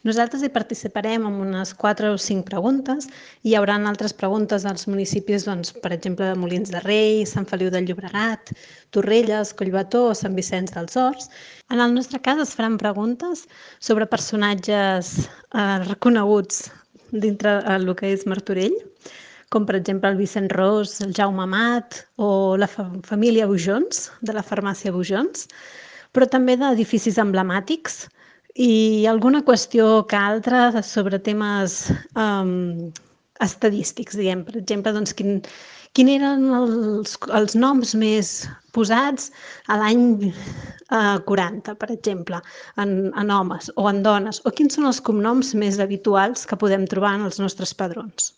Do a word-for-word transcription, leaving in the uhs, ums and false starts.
Nosaltres hi participarem amb unes quatre o cinc preguntes. Hi haurà altres preguntes als municipis, doncs, per exemple, de Molins de Rei, Sant Feliu de Llobregat, Torrelles, Collbató o Sant Vicenç dels Horts. En el nostre cas es faran preguntes sobre personatges eh, reconeguts dintre el que és Martorell, com per exemple el Vicent Ros, el Jaume Amat o la fa família Bujons, de la farmàcia Bujons, però també d'edificis emblemàtics i alguna qüestió que altra sobre temes um, estadístics, diguem. Per exemple, doncs, quin, quin eren els, els noms més posats a l'any eh, quaranta, per exemple, en, en homes o en dones, o quins són els cognoms més habituals que podem trobar en els nostres padrons.